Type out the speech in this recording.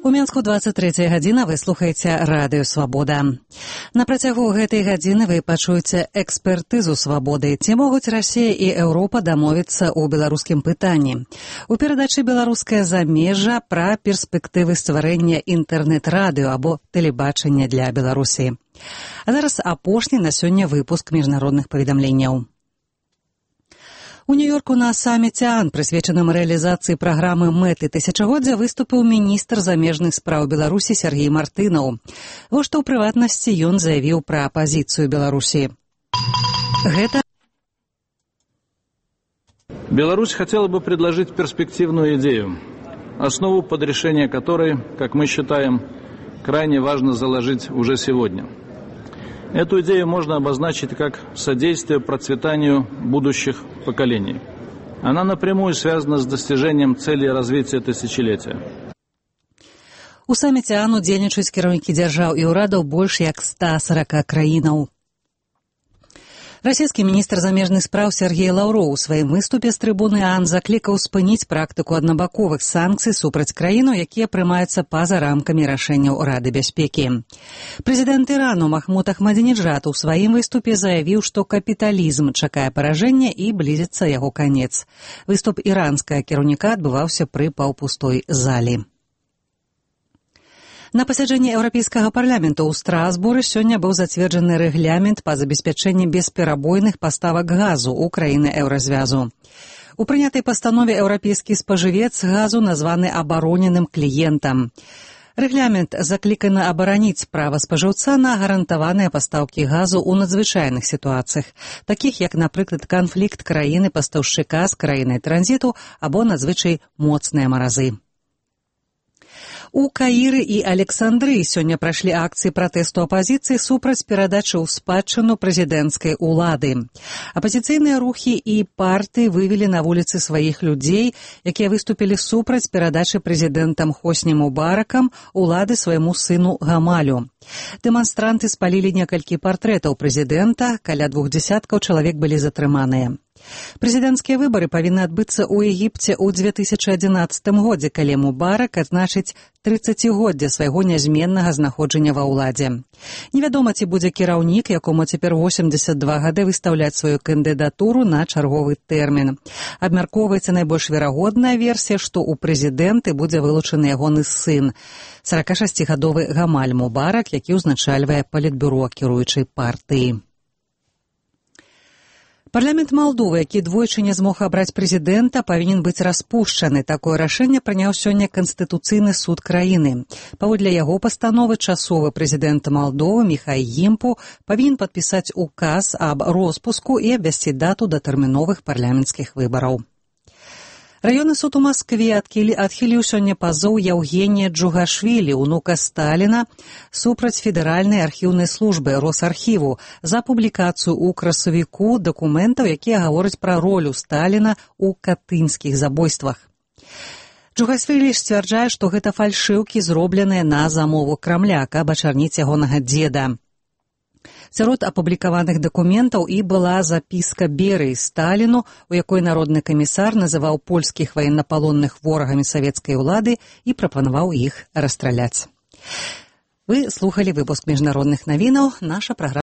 У Менску 23 гадзіна, вы слухаеце радыё «Свабода». На працягу гэтай гадзіны вы пачуеце экспертызу «Свабоды». Ці могуць Расія і Еўропа дамовіцца ў беларускім пытанні. У перадачы «Беларускае замежжа» пра перспектывы стварэння інтэрнэт-радыё або тэлебачання для Беларусі. А зараз апошні на сёння выпуск міжнародных паведамленняў. У Нью-Йорку на саміце АН, прысвечаным рэалізацыі праграмы «Мэты тысячагоддзя», выступіў міністр замежных спраў Беларусі Сергей Мартынаў. Вось што ў прыватнасці ён заявіў пра пазіцыю Беларусі. Беларусь хотела бы предложить перспективную идею, основу под решение которой, как мы считаем, крайне важно заложить уже сегодня. Эту идею можно обозначить как содействие процветанию будущих поколений. Она напрямую связана с достижением целей развития тысячелетия. У саміце АН удзельнічаюць кіраўнікі дзяржаў і ўрадаў больш як 140 краінаў. Расійскі міністр замежных спраў Сергей Лаўроў у сваім выступе з трыбуны АН заклікаў спыніць практыку аднабаковых санкцый супраць краіну, якія прымаюцца па-за рамкамі рашэнняў Рады бяспекі. Прэзідэнт Ірану Махмуд Ахмадзінеджад у сваім выступе заявіў, што капіталізм чакае паражэння і блізіцца яго канец. Выступ іранскага кіраўніка адбываўся пры паўпустой залі. На пасяджэнні Еўрапейскага парламенту ў Страсбуры сёння быў зацверджаны рэгламент па забеспячэнні бесперабойных паставак газу ў краіны еўразвязу. У прынятай пастанове еўрапейскі спажывец газу названы абароненым кліентам. Рэгламент закліканы абараніць права спажыўца на гарантаваныя пастаўкі газу ў надзвычайных сітуацыях, такіх як, напрыклад, канфлікт краіны-пастаўшчыка з краінай транзіту або надзвычай моцныя маразы. У Каіры і Александрыі сёння прайшлі акцыі пратэсту апазіцыі супраць перадачы ў спадчыну прэзідэнцкай улады. Апазіцыйныя рухі і партыі вывелі на вуліцы сваіх людзей, якія выступілі супраць перадачы прэзідэнтам Хосні Мубаракам улады свайму сыну Гамалю. Дэманстранты спалілі некалькі партрэтаў прэзідэнта, каля 200 чалавек былі затрыманыя. Прэзідэнцкія выбары павінны адбыцца ў Егіпце ў 2011 годзе, калі Мубарак адзначыць 30-годдзе свайго нязменнага знаходжання ва ўладзе. Невядома, ці будзе кіраўнік, якому цяпер 82 гады, выстаўляць сваю кандыдатуру на чарговы тэрмін. Абмяркоўваецца найбольш верагодная версія, што ў прэзідэнты будзе вылучаны ягоны сын, 46-гадовы Гамаль Мубарак, які ўзначальвае палітбюро кіруючай партыі. Парламент Малдовы, які двойчы не змог абраць прэзідэнта, павінен быць распушчаны. Такое рашэнне прыняў сёння Канстытуцыйны суд краіны. Паводле яго пастановы часовы прэзідэнт Малдовы Міхай Гімпу павінен падпісаць указ аб роспуску і абвясціць дату датэрміновых парламенцкіх выбараў. Раённы суд у Маскве адхіліў сёння пазоў Яўгенія Джугашвілі, унука Сталіна, супраць федэральнай архіўнай службы Росархіву за публікацыю ў красавіку дакументаў, якія гавораць пра ролю Сталіна ў катынскіх забойствах. Джугашвілі сцвярджае, што гэта фальшыўкі, зробленыя на замову Крамля, каб ачарніць ягонага дзеда. Сярод апублікаваных дакументаў і была запіска Берыі Сталіну, у якой народны камісар называў польскіх ваеннапалонных ворагамі савецкай улады і прапанаваў іх расстраляць. Вы слухалі выпуск міжнародных навінаў. Наша праграма